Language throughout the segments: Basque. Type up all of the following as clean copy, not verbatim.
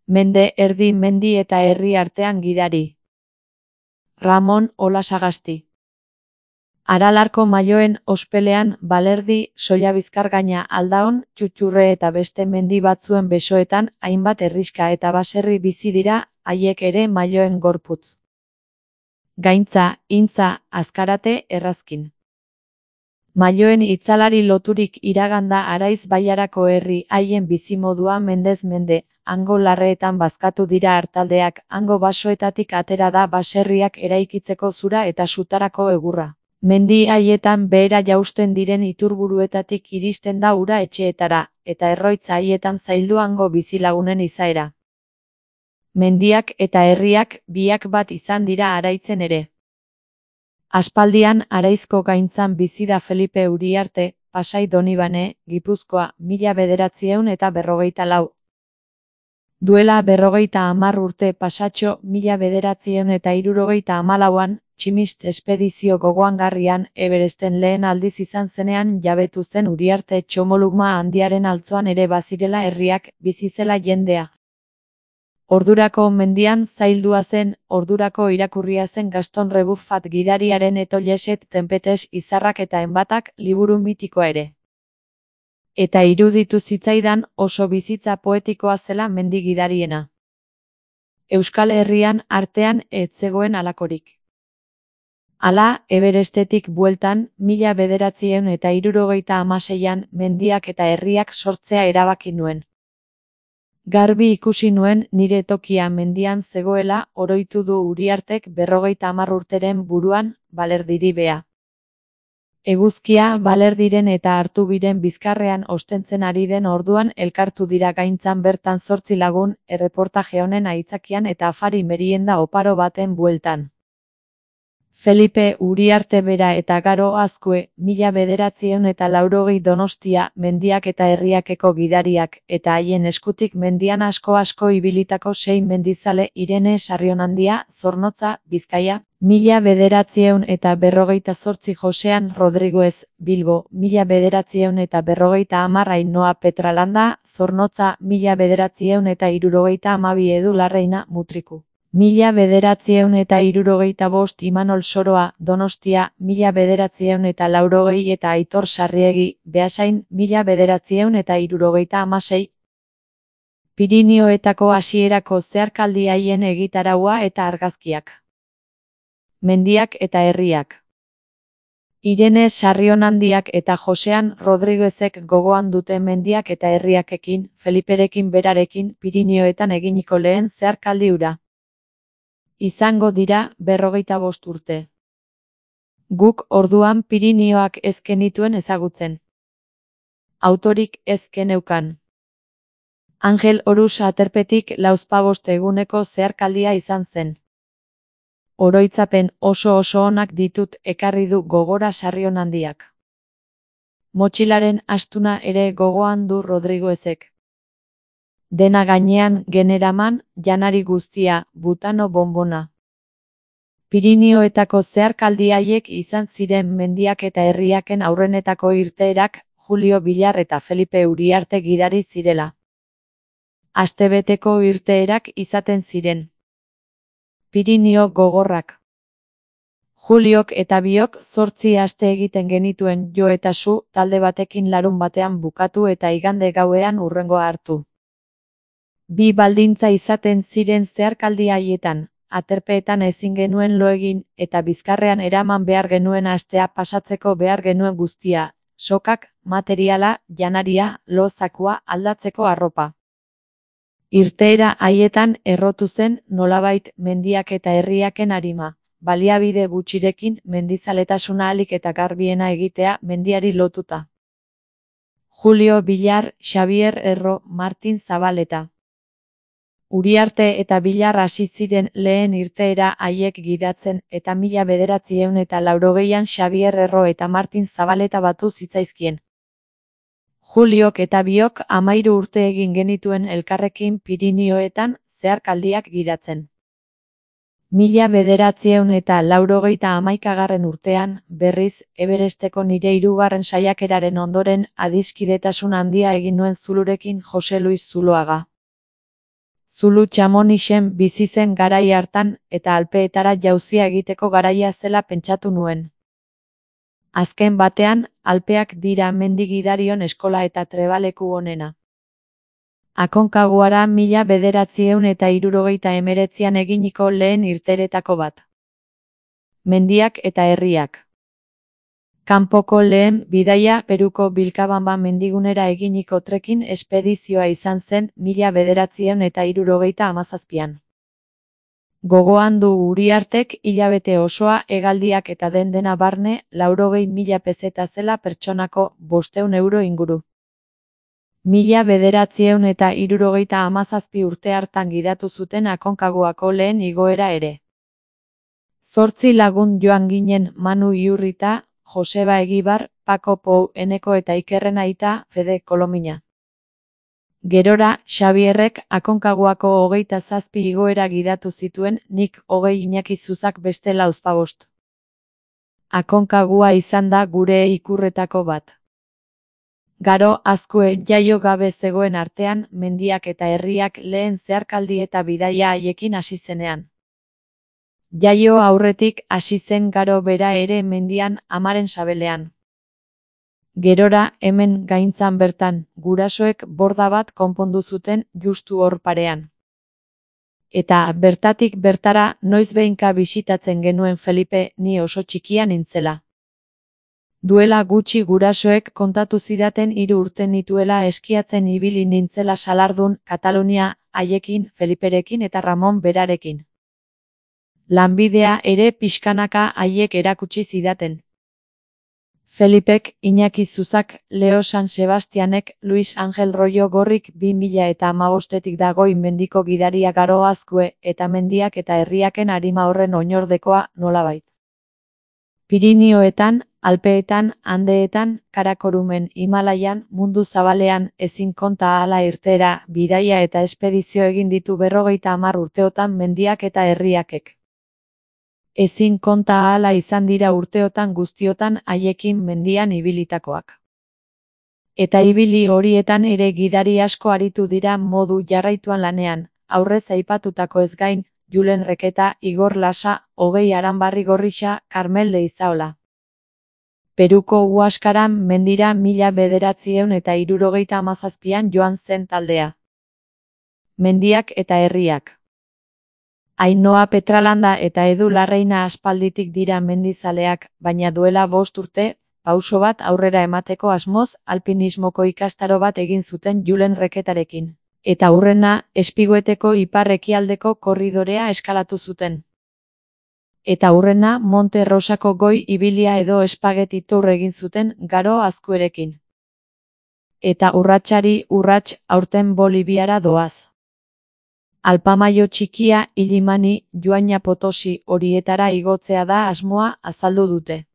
Mende, erdi, mendi eta herri artean gidari. Ramon Olasagasti. Aralarko Maioen ospelean, Balerdi, Sollabizkargaina, Aldaon, Txutxurre eta beste mendi batzuen besoetan, hainbat herrixka eta baserri bizi dira, haiek ere Maioen gorputz. Gaintza, Intza, Azkarate, Errazkin. Maioen itzalari loturik iraganda Araiz bailarako herri haien bizimodua mendez mende, hango larreetan bazkatu dira artaldeak, hango basoetatik atera da baserriak eraikitzeko zura eta sutarako egurra. Mendi haietan behera jausten diren iturburuetatik iristen da ura etxeetara, eta erroitz haietan zaildu hango bizilagunen izaera. Mendiak eta herriak biak bat izan dira Araitzen ere. Aspaldian Araizko gaintzan bizi da Felipe Uriarte, Pasai Donibane, Gipuzkoa, 1954. Duela 50 urte pasatxo 1974an, Tximist espedizio gogoangarrian, Everesten lehen aldiz izan zenean jabetu zen Uriarte Txomolugma handiaren altzoan ere bazirela herriak, bizizela jendea. Ordurako mendian zaildua zen, ordurako irakurria zen Gaston Rebuffat gidariaren Etoileset Tempetes izarrak eta enbatak liburu mitikoa ere. Eta iruditu zitzaidan oso bizitza poetikoa zela mendi gidariena. Euskal Herrian artean ez zegoen halakorik. Hala, Everestetik bueltan, 1976an mendiak eta herriak sortzea erabaki nuen. Garbi ikusi nuen nire tokia mendian zegoela, oroitu du Uriartek 50 urteren buruan, Balerdiri bea. Eguzkia Balerdiren eta Artubiren bizkarrean ostentzen ari den orduan elkartu dira gaintzan bertan 8 lagun, erreportaje honen aitzakian eta afari merienda oparo baten bueltan. Felipe Uriarte bera eta Garo Azkue, 1980 Donostia, mendiak eta herriakeko gidariak, eta haien eskutik mendian asko ibilitako 6 mendizale Irene Sarrionandia, Zornotza, Bizkaia, 1958 Josean Rodriguez, Bilbo, 1950 Ainhoa Petralanda, Zornotza, 1972 Edu Larreina, Mutriku. 1975 Imanol Soroa, Donostia, 1980 eta Aitor Sarriegi, Beasain, 1976. Pirinioetako hasierako zeharkaldi haien egitaraua eta argazkiak. Mendiak eta herriak. Irene Sarrionandiak eta Josean Rodriguezek gogoan dute mendiak eta herriakekin, Feliperekin berarekin, Pirinioetan eginiko lehen zeharkaldi hura. Izango dira 55 urte. Guk orduan Pirinioak ez genituen ezagutzen. Autorik ez geneukan. Angel Orus Aterpetik 45 eguneko zeharkaldia izan zen. Oroitzapen oso onak ditut ekarri du gogora Sarrionandiak. Motxilaren astuna ere gogoan du Rodriguezek. Dena gainean generaman, janari guztia, butano bonbona. Pirinioetako zeharkaldi haiek izan ziren mendiak eta herriaken aurrenetako irteerak, Julio Villar eta Felipe Uriarte gidari zirela. Astebeteko irteerak izaten ziren. Pirinio gogorrak. Juliok eta biok 8 aste egiten genituen jo eta su, talde batekin larun batean bukatu eta igande gauean hurrengoa hartu. Bi baldintza izaten ziren zeharkaldi haietan, aterpeetan ezin genuen lo egin, eta bizkarrean eraman behar genuen astea pasatzeko behar genuen guztia, sokak, materiala, janaria, lo zakua, aldatzeko arropa. Irteera haietan errotu zen nolabait mendiak eta herriaken arima, baliabide gutxirekin mendizaletasuna ahalik eta garbiena egitea mendiari lotuta. Julio Villar, Xavier Erro, Martin Zabaleta. Uriarte eta Villar hasi ziren lehen irteera haiek gidatzen eta 1980an Xavier Erro eta Martin Zabaleta batu zitzaizkien. Juliok eta biok 13 urte egin genituen elkarrekin Pirinioetan zeharkaldiak gidatzen. 1981 urtean, berriz, Everesteko nire 3. saiakeraren ondoren adiskidetasun handia egin nuen Zulurekin Jose Luis Zuloaga. Zulu Chamonixen bizi zen garai hartan eta Alpeetara jauzia egiteko garaia zela pentsatu nuen. Azken batean, Alpeak dira mendi gidarion eskola eta trebaleku onena. Akonkaguara 1979an eginiko lehen irteeretako bat. Mendiak eta herriak. Kanpoko lehen bidaia Peruko Vilcabamba mendigunera eginiko trekking espedizioa izan zen 1977an. Gogoan du Uriartek hilabete osoa hegaldiak eta dena barne 80.000 peseta zela pertsonako 500 euro inguru. 1977 urte hartan gidatu zuten Akonkaguako lehen igoera ere. 8 lagun joan ginen Manu Iurrita, Joseba Egibar, Paco Pou Eneko eta Ikerren aita Fede Kolomina. Gerora, Xabierrek Akonkaguako 27 igoera gidatu zituen, nik 20 Iñaki Zuzak beste 45. Aconcagua izan da gure ikurretako bat. Garo Azkue jaio gabe zegoen artean, mendiak eta herriak lehen zeharkaldi eta bidaia haiekin hasi zenean. Jaio aurretik hasi zen Garo bera ere mendian, amaren sabelean. Gerora, hemen gaintzan bertan, gurasoek borda bat konpondu zuten justu hor parean. Eta bertatik bertara noizbehinka bisitatzen genuen Felipe, ni oso txikia nintzela. Duela gutxi gurasoek kontatu zidaten 3 urte nituela eskiatzen ibili nintzela Salardun, Katalunia, haiekin, Feliperekin eta Ramon berarekin. Lanbidea ere pixkanaka haiek erakutsi zidaten. Felipek, Iñaki Zuzak, Leo San Sebastianek, Luis Angel Rollo Gorrik 2015etik dagoi mendiko gidaria Garo Azkue eta mendiak eta herriaken arima horren oinordekoa nolabait. Pirinioetan, Alpeetan, Andeetan, Karakorumen, Himalaian, mundu zabalean, ezin konta ahala irteera, bidaia eta espedizio egin ditu 50 urteotan mendiak eta herriakek. Ezin konta ahala izan dira urteotan guztiotan haiekin mendian ibilitakoak. Eta ibili horietan ere gidari asko aritu dira modu jarraituan lanean, aurrez aipatutako ez gain, Julen Reketa, Igor Lasa, Hogei Aranbarri Gorrixa, Karmel Leizaola. Peruko Huaskaran mendira 1977an joan zen taldea. Mendiak eta herriak. Ainhoa Petralanda eta Edu Larreina aspalditik dira mendizaleak, baina duela 5 urte, pauso bat aurrera emateko asmoz, alpinismoko ikastaro bat egin zuten Julen Reketarekin. Eta hurrena, Espigueteko ipar-ekialdeko korridorea eskalatu zuten. Eta hurrena, Monte Rosako goi ibilia edo Spaghetti Tour egin zuten Garo Azkuerekin. Eta urratsari urrats aurten Boliviara doaz. Alpamaio txikia, Illimani, Joaina Potosi horietara igotzea da asmoa azaldu dute.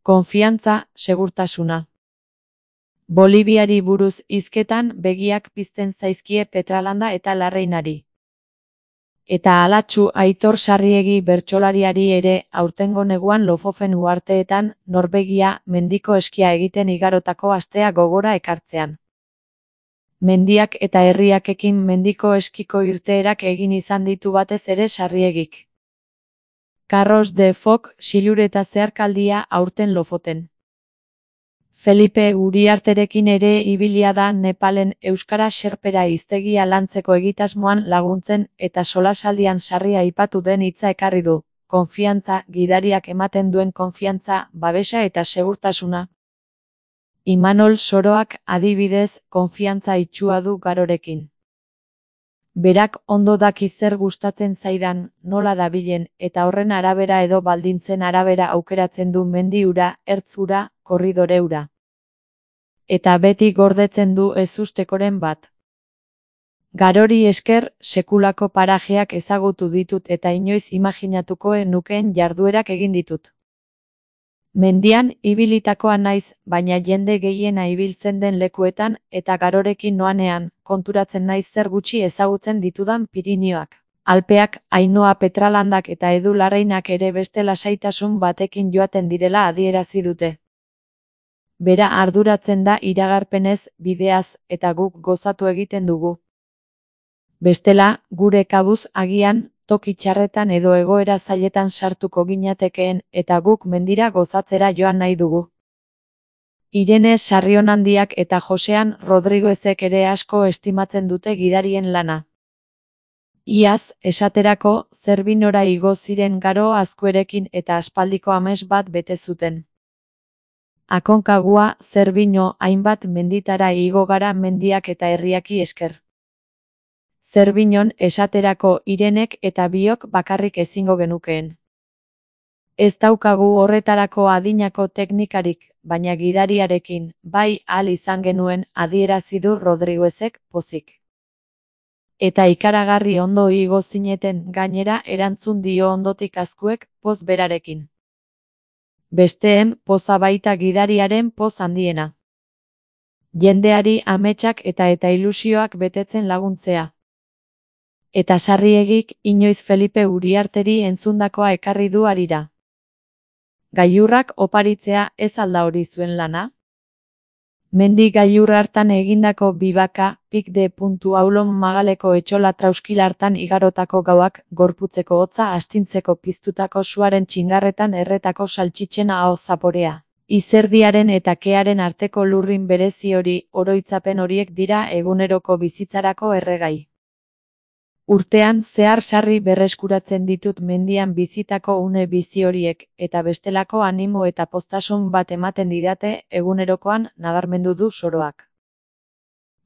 Konfiantza, segurtasuna. Boliviari buruz hizketan begiak pizten zaizkie Petralanda eta Larreinari. Eta alatsu Aitor Sarriegi bertsolariari ere aurtengo neguan Lofofen uharteetan Norvegia mendiko eskia egiten igarotako astea gogora ekartzean. Mendiak eta herriakekin mendiko eskiko irteerak egin izan ditu batez ere Sarriegik. Carros de Foc silureta zeharkaldia aurten Lofoten. Felipe Uriarterekin ere ibilia da Nepalen euskara xerpera hiztegia lantzeko egitasmoan laguntzen eta solasaldian Sarri aipatu den hitza ekarri du. Konfiantza, gidariak ematen duen konfiantza, babesa eta segurtasuna. Imanol Soroak adibidez, konfiantza itsua du Garorekin. Berak ondo daki zer gustatzen zaidan, nola dabilen, eta horren arabera edo baldintzen arabera aukeratzen du mendi ura, ertz ura, korridore ura. Eta beti gordetzen du ezustekoren bat. Garori esker, sekulako parajeak ezagutu ditut eta inoiz imaginatuko nukeen jarduerak egin ditut. Mendian ibilitakoa naiz, baina jende gehiena ibiltzen den lekuetan eta Garorekin noanean, konturatzen naiz zer gutxi ezagutzen ditudan Pirinioak. Alpeak, Ainhoa Petralandak eta Edu Larreinak ere beste lasaitasun batekin joaten direla adierazi dute. Bera arduratzen da iragarpenez, bideaz, eta guk gozatu egiten dugu. Bestela, gure kabuz agian, toki txarretan edo egoera zailetan sartuko ginatekeen eta guk mendira gozatzera joan nahi dugu. Irene Sarrionandiak eta Josean Rodriguezek ere asko estimatzen dute gidarien lana. Iaz, esaterako, Zerbinora igo ziren Garo Azkuerekin eta aspaldiko ames bat bete zuten. Aconcagua, Zerbino, hainbat menditara igo gara mendiak eta herriaki esker. Zerbinon, esaterako, Irenek eta biok bakarrik ezingo genukeen. Ez daukagu horretarako adinako teknikarik, baina gidariarekin, bai ahal izan genuen, adierazi du Rodriguezek pozik. Eta ikaragarri ondo igo zineten gainera erantzun dio ondotik Azkuek, poz berarekin. Besteen poza baita gidariaren poz handiena. Jendeari ametsak eta ilusioak betetzen laguntzea. Eta Sarriegik inoiz Felipe Uriarteri entzundakoa ekarri du harira. Gailurrak oparitzea ez alda hori zuen lana? Mendi gailur hartan egindako bibaka, pik.aulon magaleko etxola trauskil hartan igarotako gauak, gorputzeko hotza astintzeko piztutako suaren txingarretan erretako saltxitzen aho zaporea. Izerdiaren eta kearen arteko lurrin berezi hori, oroitzapen horiek dira eguneroko bizitzarako erregai. Urtean zehar sarri berreskuratzen ditut mendian bizitako une bizi horiek, eta bestelako animo eta poztasun bat ematen didate egunerokoan nabarmendu du soroak.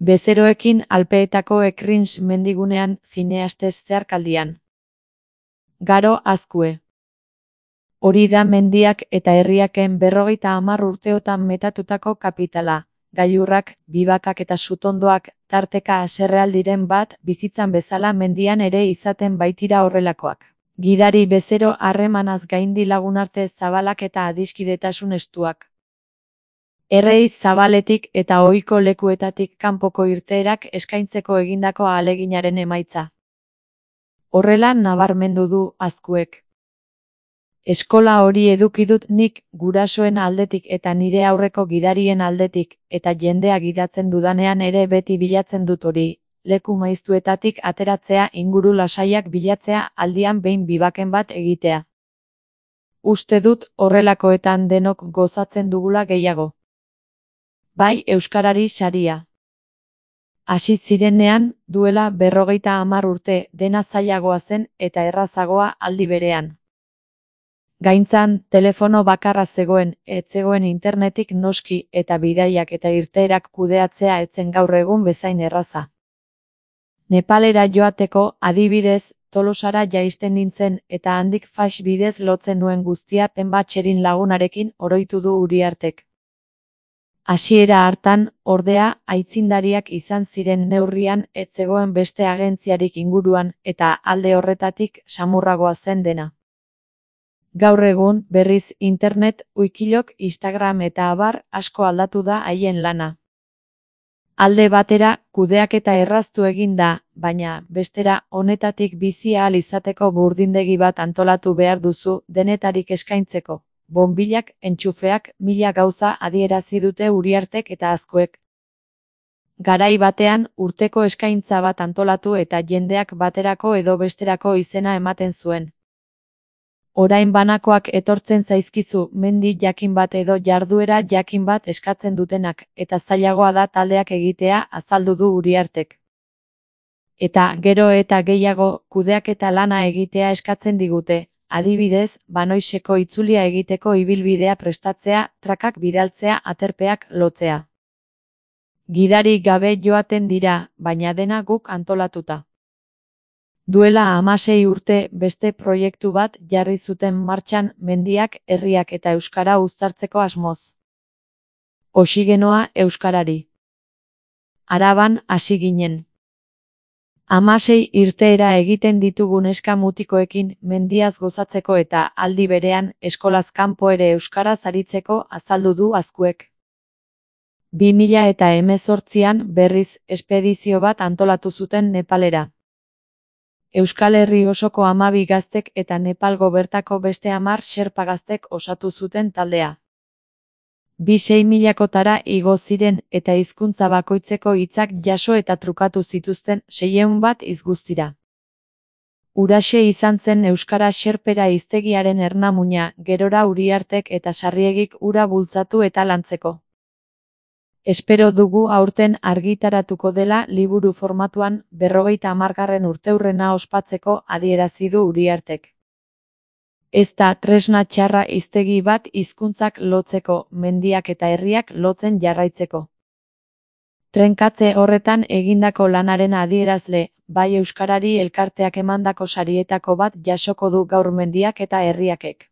Bezeroekin Alpeetako Ekrins mendigunean zineastez zeharkaldian. Garo Azkue. Hori da mendiak eta herriaken 50 urteotan metatutako kapitala. Gailurrak, bibakak eta sutondoak, tarteka haserrealdiren bat, bizitzan bezala mendian ere izaten baitira horrelakoak. Gidari bezero harremanaz gaindi lagunarte zabalak eta adiskidetasun estuak. Errei zabaletik eta ohiko lekuetatik kanpoko irteerak eskaintzeko egindako ahaleginaren emaitza. Horrela nabarmendu du Azkuek. Eskola hori eduki dut nik gurasoen aldetik eta nire aurreko gidarien aldetik, eta jendea gidatzen dudanean ere beti bilatzen dut hori, leku maiztuetatik ateratzea inguru lasaiak bilatzea aldian behin bibaken bat egitea. Uste dut horrelakoetan denok gozatzen dugula gehiago. Bai euskarari saria. Hasi zirenean, duela 50 urte, dena zailagoa zen eta errazagoa aldi berean. Gaintzan, telefono bakarra zegoen, ez zegoen internetik noski eta bidaiak eta irteerak kudeatzea etzen gaur egun bezain erraza. Nepalera joateko, adibidez, Tolosara jaisten nintzen eta handik fax bidez lotzen nuen guztia Penbatxerin lagunarekin oroitu du Uriartek. Hasiera hartan, ordea, aitzindariak izan ziren neurrian ez zegoen beste agentziarik inguruan eta alde horretatik samurragoa zen dena. Gaur egun, berriz, internet, wikilok, Instagram eta abar, asko aldatu da haien lana. Alde batera, kudeaketa erraztu egin da, baina, bestera, honetatik bizi ahal izateko burdindegi bat antolatu behar duzu, denetarik eskaintzeko. Bonbilak, entxufeak, 1000 gauza adierazi dute Uriartek eta Azkuek. Garai batean, urteko eskaintza bat antolatu eta jendeak baterako edo besterako izena ematen zuen. Orain banakoak etortzen zaizkizu mendi jakin bat edo jarduera jakin bat eskatzen dutenak, eta zailagoa da taldeak egitea azaldu du Uriartek. Eta gero eta gehiago kudeaketa lana egitea eskatzen digute, adibidez, banoiseko itzulia egiteko ibilbidea prestatzea, trakak bidaltzea, aterpeak lotzea. Gidari gabe joaten dira, baina dena guk antolatuta. Duela 16 urte beste proiektu bat jarri zuten martxan mendiak, herriak eta euskara uztartzeko asmoz. Oxigenoa euskarari. Araban hasi ginen. 16 irteera egiten ditugun neska mutikoekin mendiaz gozatzeko eta aldi berean eskolaz kanpo ere euskaraz aritzeko azaldu du Azkuek. 2018an berriz espedizio bat antolatu zuten Nepalera. Euskal Herri osoko 12 gaztek eta Nepalgo bertako beste 10 xerpa gaztek osatu zuten taldea. bi 6.000-kotara igo ziren eta hizkuntza bakoitzeko hitzak jaso eta trukatu zituzten 601 hitz guztira. Huraxe izan zen euskara xerpera hiztegiaren ernamuina, gerora Uriartek eta Sarriegik hura bultzatu eta lantzeko. Espero dugu aurten argitaratuko dela liburu formatuan 50. urteurrena ospatzeko, adierazi du Uriartek. Ez da tresna txarra hiztegi bat hizkuntzak lotzeko, mendiak eta herriak lotzen jarraitzeko. Trenkatze horretan egindako lanaren adierazle, bai euskarari elkarteak emandako sarietako bat jasoko du gaur mendiak eta herriakek.